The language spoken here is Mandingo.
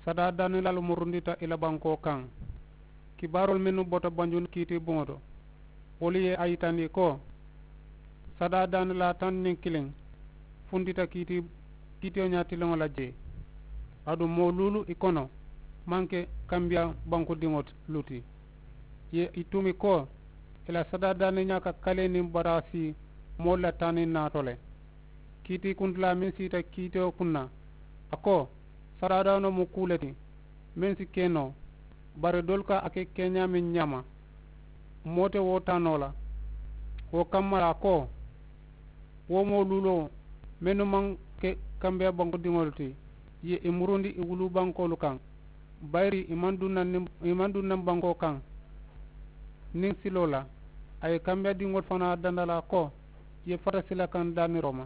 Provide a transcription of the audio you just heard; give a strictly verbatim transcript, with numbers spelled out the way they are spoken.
Sadaa daanilaalu murundita i la bankoo kaŋ. Kibaaroolu mennu bota banjun kiiti buŋo to, wolu ye a yitandi ko sadaa daanilaa taŋ niŋ kiliŋ funtita kiiti kiitiyo ñaatiliŋo la jee. Aduŋ moo luulu i kono maŋ ke kambiyaa bankudiŋolu ti. Ye i tumi ko i la sadaa daaniñaa ka kalee niŋ baraasi moolu la taaniŋ naato le. Kiitii kuntilaa meŋ siita kiitiyo kunna, a ko sadaadaanoo mu kuu le ti meŋ si ke noo, bari doolu ka a ke keeñaa meŋ ñaama moo te wo taa noo la. Wo kamma la a ko wo moo luuloo mennu maŋ ke kambeya bankudiŋolu ti, ye i murundi i wuluu bankoolu kaŋ, bayiri i maŋ duŋ naŋ niŋ i maŋ duŋ naŋ bankoo kaŋ niŋ siloo la. A ye kambeyadiŋolu fanaa danda la a ko i ye fata sila kaŋ daaniroo ma.